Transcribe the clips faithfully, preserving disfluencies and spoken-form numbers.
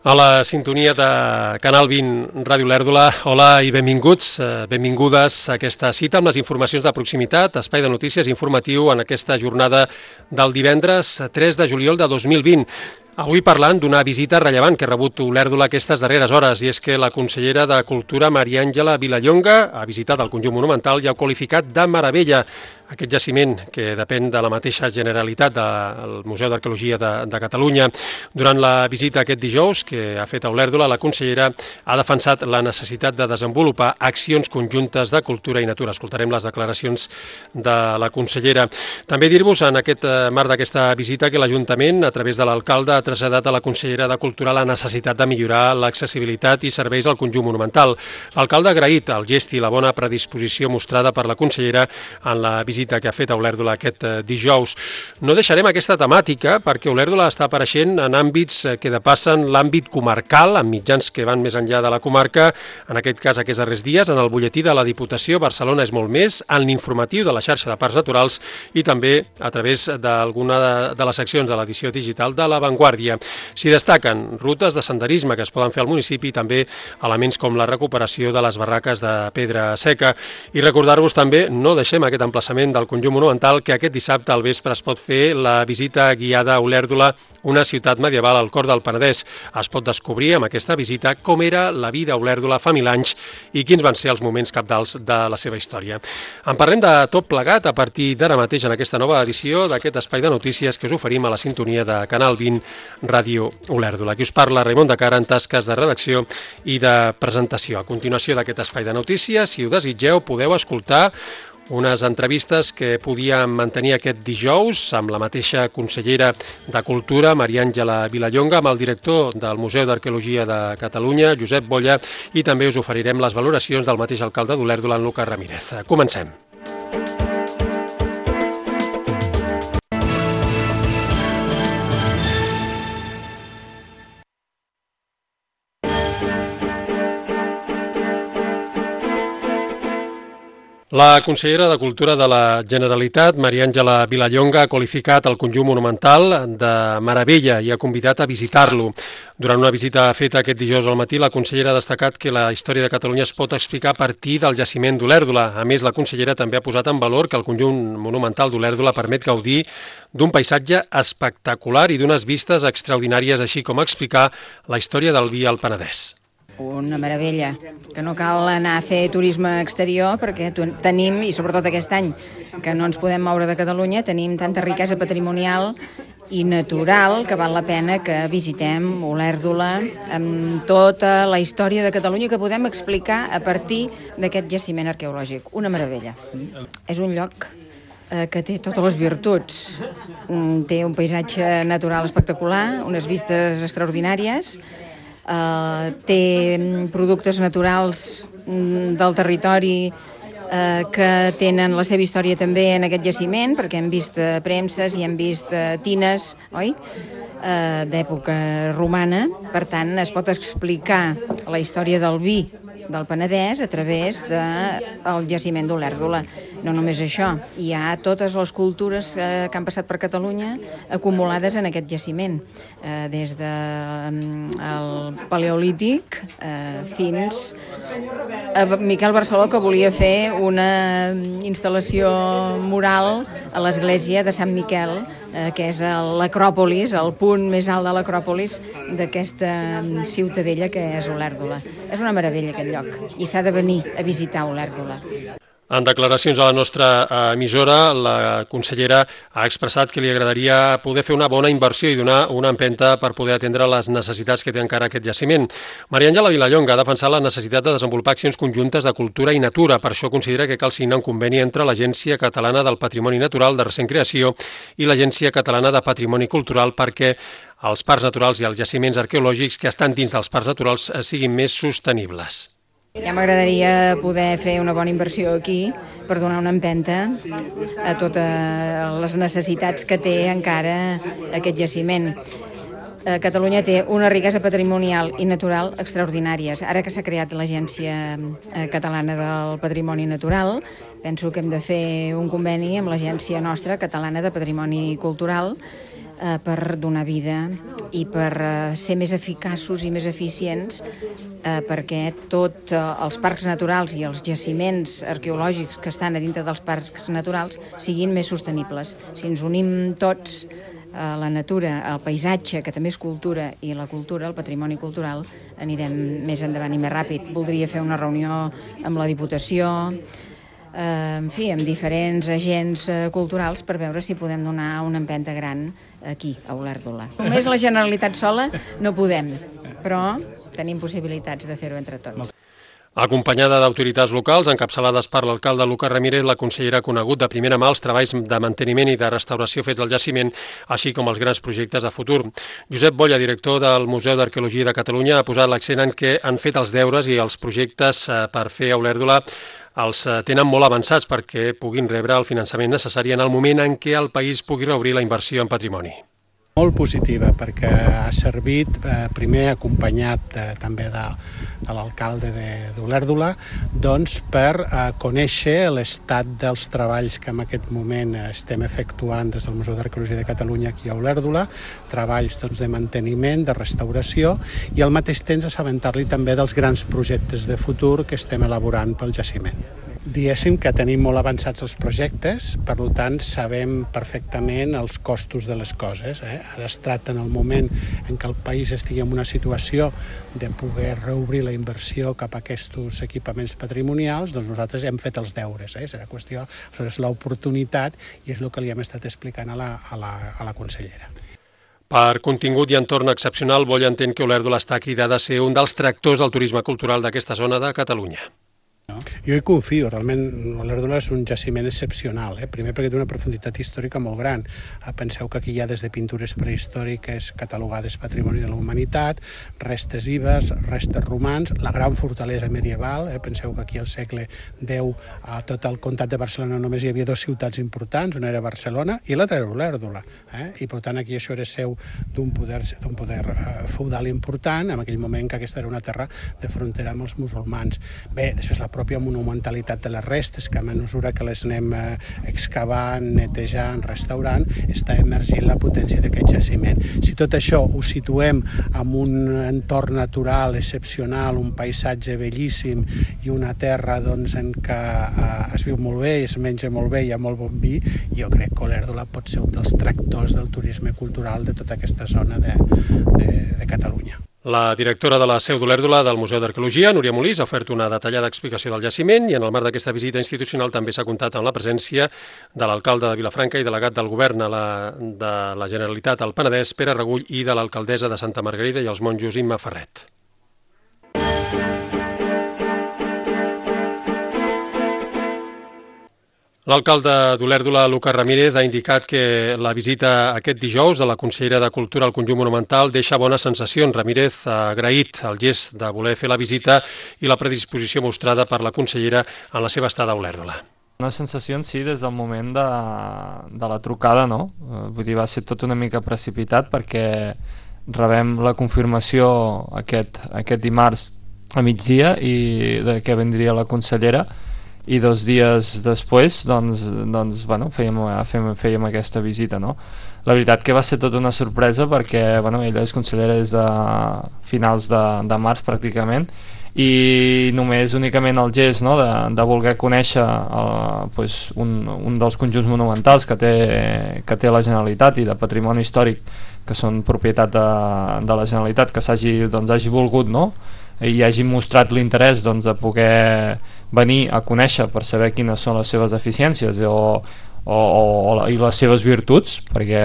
A la sintonia de Canal vint Ràdio Olèrdola, hola i benvinguts, benvingudes a aquesta cita amb les informacions de proximitat, espai de notícies informatiu en aquesta jornada del divendres tres de juliol de dos mil vint. Avui parlant d'una visita rellevant que ha rebut Olèrdola aquestes darreres hores, i és que la consellera de Cultura, Maria Àngela Vilallonga, ha visitat el conjunt monumental i ha qualificat de meravella aquest jaciment que depèn de la mateixa Generalitat del Museu d'Arqueologia de, de Catalunya. Durant la visita aquest dijous que ha fet a Olèrdola, la consellera ha defensat la necessitat de desenvolupar accions conjuntes de cultura i natura. Escoltarem les declaracions de la consellera. També dir-vos en aquest marc d'aquesta visita que l'Ajuntament, a través de l'alcalde, ha traslladat a la consellera de Cultura la necessitat de millorar l'accessibilitat i serveis al conjunt monumental. L'alcalde ha agraït el gest i la bona predisposició mostrada per la consellera en la visita que ha fet a Olèrdola aquest dijous. No deixarem aquesta temàtica perquè Olèrdola està apareixent en àmbits que depassen l'àmbit comarcal, amb mitjans que van més enllà de la comarca, en aquest cas aquests darrers dies, en el butlletí de la Diputació, Barcelona és molt més, en l'informatiu de la xarxa de parcs naturals i també a través d'alguna de les seccions de l'edició digital de La Vanguardia. S'hi destaquen rutes de senderisme que es poden fer al municipi i també elements com la recuperació de les barraques de pedra seca. I recordar-vos també, no deixem aquest emplaçament del conjunt monumental, que aquest dissabte al vespre es pot fer la visita guiada a Olèrdola, una ciutat medieval al cor del Penedès. Es pot descobrir amb aquesta visita com era la vida a Olèrdola fa mil anys i quins van ser els moments cabdals de la seva història. En parlem de tot plegat a partir d'ara mateix en aquesta nova edició d'aquest espai de notícies que us oferim a la sintonia de Canal vint Ràdio Olèrdola. Aquí us parla Raimon de Cara en tasques de redacció i de presentació. A continuació d'aquest espai de notícies, si ho desitgeu, podeu escoltar unes entrevistes que podíem mantenir aquest dijous amb la mateixa consellera de Cultura, Maria Àngela Vilallonga, amb el director del Museu d'Arqueologia de Catalunya, Josep Bolla, i també us oferirem les valoracions del mateix alcalde d'Olèrdola, en Lucas Ramírez. Comencem. La consellera de Cultura de la Generalitat, Maria Àngela Vilallonga, ha qualificat el conjunt monumental de meravella i ha convidat a visitar-lo. Durant una visita feta aquest dijous al matí, la consellera ha destacat que la història de Catalunya es pot explicar a partir del jaciment d'Olèrdola. A més, la consellera també ha posat en valor que el conjunt monumental d'Olèrdola permet gaudir d'un paisatge espectacular i d'unes vistes extraordinàries, així com explicar la història del vi al Penedès. Una meravella, que no cal anar a fer turisme exterior perquè tenim, i sobretot aquest any que no ens podem moure de Catalunya, tenim tanta riquesa patrimonial i natural que val la pena que visitem Olèrdola amb tota la història de Catalunya que podem explicar a partir d'aquest jaciment arqueològic. Una meravella. És un lloc que té totes les virtuts. Té un paisatge natural espectacular, unes vistes extraordinàries, Uh, té productes naturals um, del territori uh, que tenen la seva història també en aquest jaciment, perquè hem vist uh, premses i hem vist uh, tines, oi? Uh, d'època romana. Per tant, es pot explicar la història del vi del Penedès a través del jaciment d'Olèrdola. No només això, hi ha totes les cultures eh, que han passat per Catalunya acumulades en aquest jaciment, eh, des del eh, Paleolític eh, fins a Miquel Barceló, que volia fer una instal·lació mural a l'església de Sant Miquel, eh, que és l'Acròpolis, el punt més alt de l'Acròpolis d'aquesta ciutadella que és Olèrdola. És una meravella aquest lloc i s'ha de venir a visitar Olèrdola. En declaracions a la nostra emissora, la consellera ha expressat que li agradaria poder fer una bona inversió i donar una empenta per poder atendre les necessitats que té encara aquest jaciment. Maria Àngela Vilallonga ha defensat la necessitat de desenvolupar accions conjuntes de cultura i natura. Per això considera que cal signar un conveni entre l'Agència Catalana del Patrimoni Natural de recent creació i l'Agència Catalana de Patrimoni Cultural perquè els parcs naturals i els jaciments arqueològics que estan dins dels parcs naturals siguin més sostenibles. Ja m'agradaria poder fer una bona inversió aquí per donar una empenta a totes les necessitats que té encara aquest jaciment. Catalunya té una riquesa patrimonial i natural extraordinàries. Ara que s'ha creat l'Agència Catalana del Patrimoni Natural, penso que hem de fer un conveni amb l'Agència nostra Catalana de Patrimoni Cultural per donar vida i per ser més eficaços i més eficients perquè tots els parcs naturals i els jaciments arqueològics que estan a dintre dels parcs naturals siguin més sostenibles. Si ens unim tots, la natura, el paisatge, que també és cultura, i la cultura, el patrimoni cultural, anirem més endavant i més ràpid. Voldria fer una reunió amb la Diputació, en fi, amb diferents agents culturals per veure si podem donar una empenta gran aquí, a Olèrdola. Només la Generalitat sola no podem, però tenim possibilitats de fer-ho entre tots. Acompanyada d'autoritats locals, encapçalades per l'alcalde Lucas Ramírez, la consellera ha conegut de primera mà els treballs de manteniment i de restauració fets al jaciment, així com els grans projectes de futur. Josep Bolla, director del Museu d'Arqueologia de Catalunya, ha posat l'accent en què han fet els deures i els projectes per fer a Olèrdola els tenen molt avançats perquè puguin rebre el finançament necessari en el moment en què el país pugui reobrir la inversió en patrimoni. Molt positiva, perquè ha servit, eh, primer acompanyat eh, també de, de l'alcalde d'Olèrdola, doncs per eh, conèixer l'estat dels treballs que en aquest moment estem efectuant des del Museu d'Arqueologia de Catalunya aquí a Olèrdola, treballs doncs, de manteniment, de restauració, i al mateix temps assabentar-li també dels grans projectes de futur que estem elaborant pel jaciment. Diguéssim que tenim molt avançats els projectes, per tant sabem perfectament els costos de les coses. Eh? Ara es tracta en el moment en què el país estigui en una situació de poder reobrir la inversió cap a aquests equipaments patrimonials, doncs nosaltres hem fet els deures. Eh? És la qüestió, és l'oportunitat i és el que li hem estat explicant a la, a la, a la consellera. Per contingut i entorn excepcional, Bolla entén que Olèrdola està cridada a ser un dels tractors del turisme cultural d'aquesta zona de Catalunya. Jo hi confio, realment Olèrdola és un jaciment excepcional, eh? Primer perquè té una profunditat històrica molt gran. Penseu que aquí hi ha des de pintures prehistòriques catalogades Patrimoni de la Humanitat, restes ibers, restes romans, la gran fortalesa medieval, eh? Penseu que aquí al segle deu a tot el comtat de Barcelona només hi havia dues ciutats importants, una era Barcelona i l'altra era Olèrdola, eh? I per tant aquí això era seu d'un poder, d'un poder eh, feudal important, en aquell moment que aquesta era una terra de frontera amb els musulmans. Bé, després la pròpia monumentalitat de les restes, que a mesura que les anem eh, excavant, netejant, restaurant, està emergint la potència d'aquest jaciment. Si tot això ho situem en un entorn natural excepcional, un paisatge bellíssim i una terra doncs, en què eh, es viu molt bé i es menja molt bé i hi ha molt bon vi, jo crec que Olèrdola pot ser un dels tractors del turisme cultural de tota aquesta zona de, de, de Catalunya. La directora de la seu d'Olèrdola del Museu d'Arqueologia, Núria Molís, ha ofert una detallada explicació del jaciment i en el marc d'aquesta visita institucional també s'ha comptat amb la presència de l'alcalde de Vilafranca i delegat del govern a la, de la Generalitat al Penedès, Pere Regull, i de l'alcaldessa de Santa Margarida i els monjos, Imma Ferret. L'alcalde d'Olèrdola, Lucas Ramírez, ha indicat que la visita aquest dijous de la consellera de Cultura al conjunt monumental deixa bones sensacions. Ramírez ha agraït el gest de voler fer la visita i la predisposició mostrada per la consellera en la seva estada a Olèrdola. Una sensació en si des del moment de, de la trucada, no? Vull dir, va ser tot una mica precipitat perquè rebem la confirmació aquest, aquest dimarts a migdia i de què vendria la consellera, i dos dies després doncs, doncs, bueno, fèiem, fèiem, fèiem aquesta visita, no? La veritat que va ser tota una sorpresa perquè bueno, ella és consellera des de finals de, de març pràcticament, i només únicament el gest, no, de, de voler conèixer el, pues, un, un dels conjunts monumentals que té, que té la Generalitat i de patrimoni històric que són propietat de, de la Generalitat, que s'hagi doncs, hagi volgut, no?, i hagi mostrat l'interès doncs, de poder venir a conèixer per saber quines són les seves deficiències o, o, o, i les seves virtuts, perquè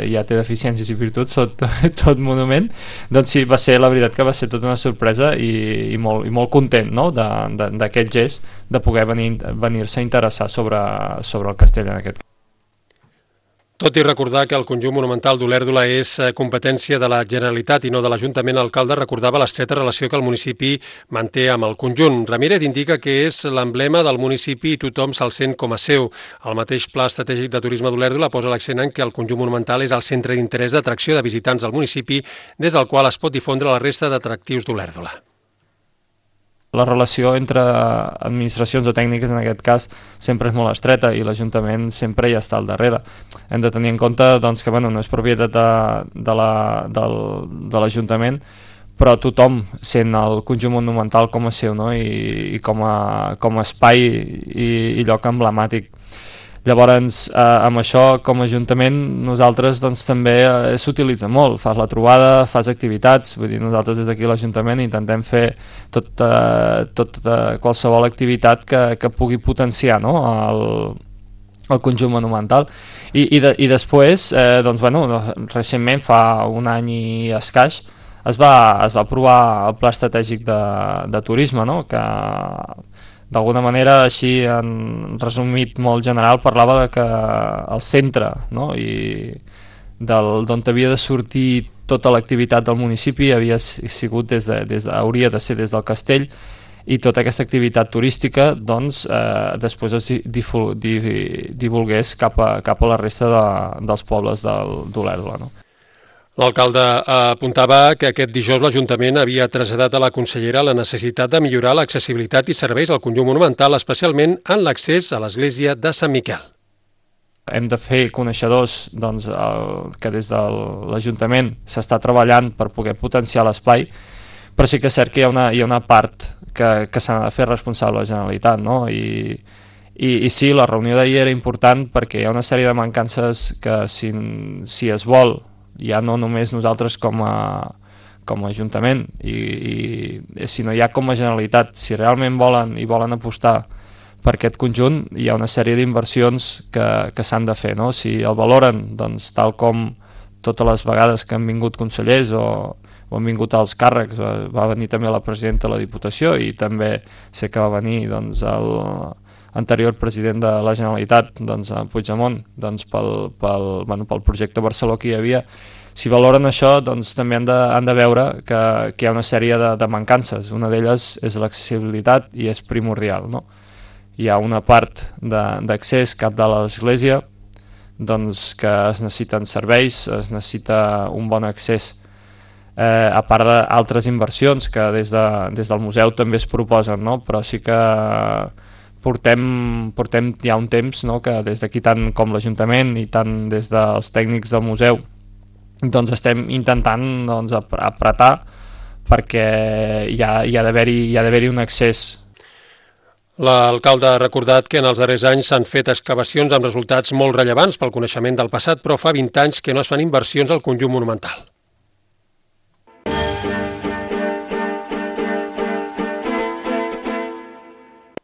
ja té deficiències i virtuts tot, tot monument. Doncs sí, va ser, la veritat que va ser tota una sorpresa i, i, molt, i molt content, no?, d'aquest gest de poder venir, venir-se a interessar sobre, sobre el castell en aquest cas. Tot i recordar que el conjunt monumental d'Olèrdola és competència de la Generalitat i no de l'Ajuntament, l'alcalde recordava l'estreta relació que el municipi manté amb el conjunt. Ramírez indica que és l'emblema del municipi i tothom se'l sent com a seu. El mateix Pla Estratègic de Turisme d'Olèrdola posa l'accent en que el conjunt monumental és el centre d'interès d'atracció de visitants del municipi, des del qual es pot difondre la resta d'atractius d'Olèrdola. la relació entre administracions o tècniques, en aquest cas, sempre és molt estreta i l'Ajuntament sempre hi està al darrere. Hem de tenir en compte doncs, que bueno, no és propietat de, de la- del, de l'Ajuntament, però tothom sent el conjunt monumental com a seu, no? I, i com, a, com a espai i, i lloc emblemàtic. Llavors, eh, amb això, com a Ajuntament, nosaltres doncs, també eh, s'utilitza molt. Fas la trobada, fas activitats, vull dir, nosaltres des d'aquí a l'Ajuntament intentem fer tot, eh, tot eh, qualsevol activitat que, que pugui potenciar, no? el, el conjunt monumental. I, i, de, i després, eh, doncs, bueno, recentment, fa un any i escaig, es va, es va aprovar el Pla Estratègic de, de Turisme, no? Que d'alguna manera, així en resumit molt general, parlava de que el centre, no? I del, d'on havia de sortir tota l'activitat del municipi havia sigut des de, des de, hauria de ser des del castell, i tota aquesta activitat turística doncs, eh, després es difu, di, divulgués cap a, cap a la resta de, dels pobles del, d'Olèrdola, no? L'alcalde apuntava que aquest dijous l'Ajuntament havia traslladat a la consellera la necessitat de millorar l'accessibilitat i serveis al conjunt monumental, especialment en l'accés a l'església de Sant Miquel. Hem de fer coneixedors doncs, el, que des de l'Ajuntament s'està treballant per poder potenciar l'espai, però sí que és cert que hi ha una, hi ha una part que, que s'ha de fer responsable la Generalitat, no? I, i, i sí, la reunió d'ahir era important perquè hi ha una sèrie de mancances que si, si es vol, ja no només nosaltres com a, com a Ajuntament, i, i sinó ja com a Generalitat, si realment volen i volen apostar per aquest conjunt, hi ha una sèrie d'inversions que, que s'han de fer, no? Si el valoren, doncs, tal com totes les vegades que han vingut consellers o, o han vingut als càrrecs, va, va venir també la presidenta de la Diputació i també sé que va venir doncs, el anterior president de la Generalitat, doncs, a Puigdemont, doncs, pel, pel, bueno, pel projecte Barceló que hi havia. Si valoren això, doncs, també han de, han de veure que, que hi ha una sèrie de, de mancances. Una d'elles és l'accessibilitat i és primordial, no? Hi ha una part d'accés cap de l'església doncs, que es necessiten serveis, es necessita un bon accés, eh, a part d'altres inversions que des, de, des del museu també es proposen, no? Però sí que portem, portem ja un temps, no? Que des d'aquí, tant com l'Ajuntament i tant des dels tècnics del museu, doncs estem intentant doncs, apretar perquè hi ha, hi ha d'haver-hi hi ha d'haver-hi un accés. L'alcalde ha recordat que en els darrers anys s'han fet excavacions amb resultats molt rellevants pel coneixement del passat, però fa vint anys que no es fan inversions al conjunt monumental.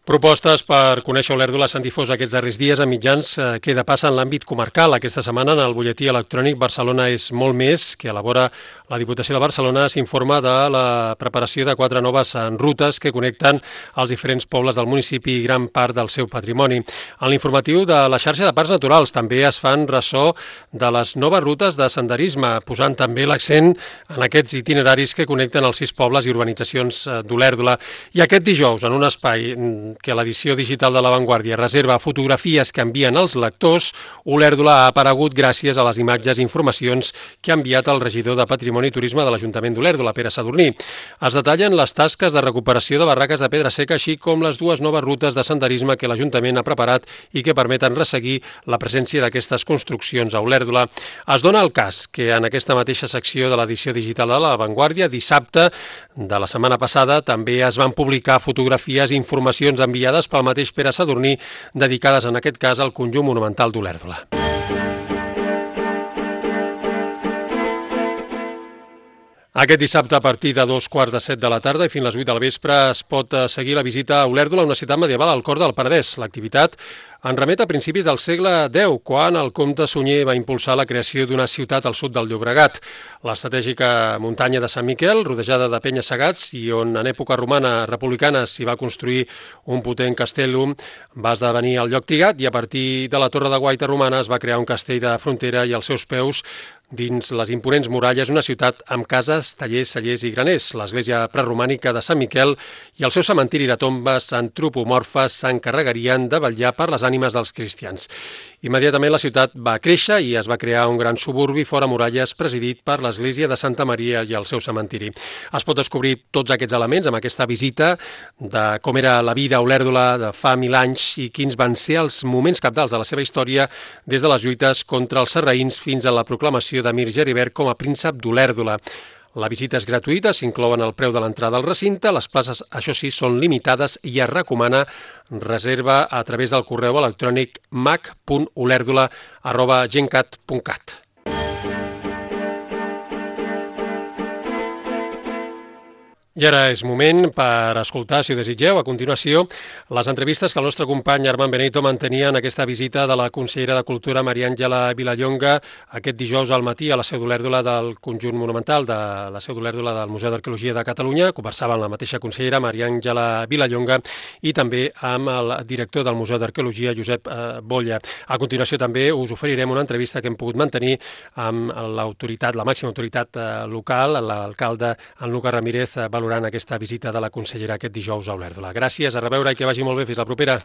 Propostes per conèixer Olèrdola s'han difós aquests darrers dies a mitjans que de passa en l'àmbit comarcal. Aquesta setmana en el butlletí electrònic Barcelona és molt més, que elabora la Diputació de Barcelona, s'informa de la preparació de quatre noves rutes que connecten els diferents pobles del municipi i gran part del seu patrimoni. En l'informatiu de la xarxa de parcs naturals també es fan ressò de les noves rutes de senderisme, posant també l'accent en aquests itineraris que connecten els sis pobles i urbanitzacions d'Olèrdola. I aquest dijous, en un espai que l'edició digital de La Vanguardia reserva fotografies que envien els lectors, Olèrdola ha aparegut gràcies a les imatges i informacions que ha enviat el regidor de Patrimoni i Turisme de l'Ajuntament d'Olèrdola, Pere Sadurní. Es detallen les tasques de recuperació de barraques de pedra seca, així com les dues noves rutes de senderisme que l'Ajuntament ha preparat i que permeten resseguir la presència d'aquestes construccions a Olèrdola. Es dona el cas que en aquesta mateixa secció de l'edició digital de La Vanguardia, dissabte de la setmana passada, també es van publicar fotografies i informacions enviades pel mateix Pere Sadurní, dedicades en aquest cas al conjunt monumental d'Olèrdola. Aquest dissabte, a partir de dos quarts de set de la tarda i fins a les vuit del vespre, es pot seguir la visita a Olèrdola, una ciutat medieval al cor del Penedès. L'activitat en remet a principis del segle deu, quan el comte Sunyer va impulsar la creació d'una ciutat al sud del Llobregat. L'estratègica muntanya de Sant Miquel, rodejada de penyes segats i on en època romana republicana s'hi va construir un potent castellum, va esdevenir el lloc triat i a partir de la torre de guaita romana es va crear un castell de frontera i als seus peus, dins les imponents muralles, una ciutat amb cases, tallers, cellers i graners. L'església preromànica de Sant Miquel i el seu cementiri de tombes antropomorfes s'encarregarien de vetllar per les ànimes ànimes dels cristians. Immediatament la ciutat va créixer i es va crear un gran suburbi fora muralles presidit per l'església de Santa Maria i el seu cementiri. Es pot descobrir tots aquests elements amb aquesta visita de com era la vida a Olèrdola de fa mil anys i quins van ser els moments cabdals de la seva història des de les lluites contra els sarraïns fins a la proclamació d'Emir Geribert com a príncep d'Olèrdola. La visita és gratuïta, s'inclouen el preu de l'entrada al recinte, les places, això sí, són limitades i es recomana reserva a través del correu electrònic mac punt olèrdola arroba gencat punt cat. I ara és moment per escoltar, si ho desitgeu, a continuació, les entrevistes que el nostre company Armand Benito mantenia en aquesta visita de la consellera de Cultura Maria Àngela Vilallonga aquest dijous al matí a la seu d'Olèrdola del Conjunt Monumental de la seu d'Olèrdola del Museu d'Arqueologia de Catalunya. Conversava amb la mateixa consellera, Maria Àngela Vilallonga, i també amb el director del Museu d'Arqueologia, Josep Bolla. A continuació també us oferirem una entrevista que hem pogut mantenir amb l'autoritat, la màxima autoritat local, l'alcalde en Lucas Ramírez, valorant aquesta visita de la consellera aquest dijous a Olèrdola. Gràcies, a reveure i que vagi molt bé. Fins la propera.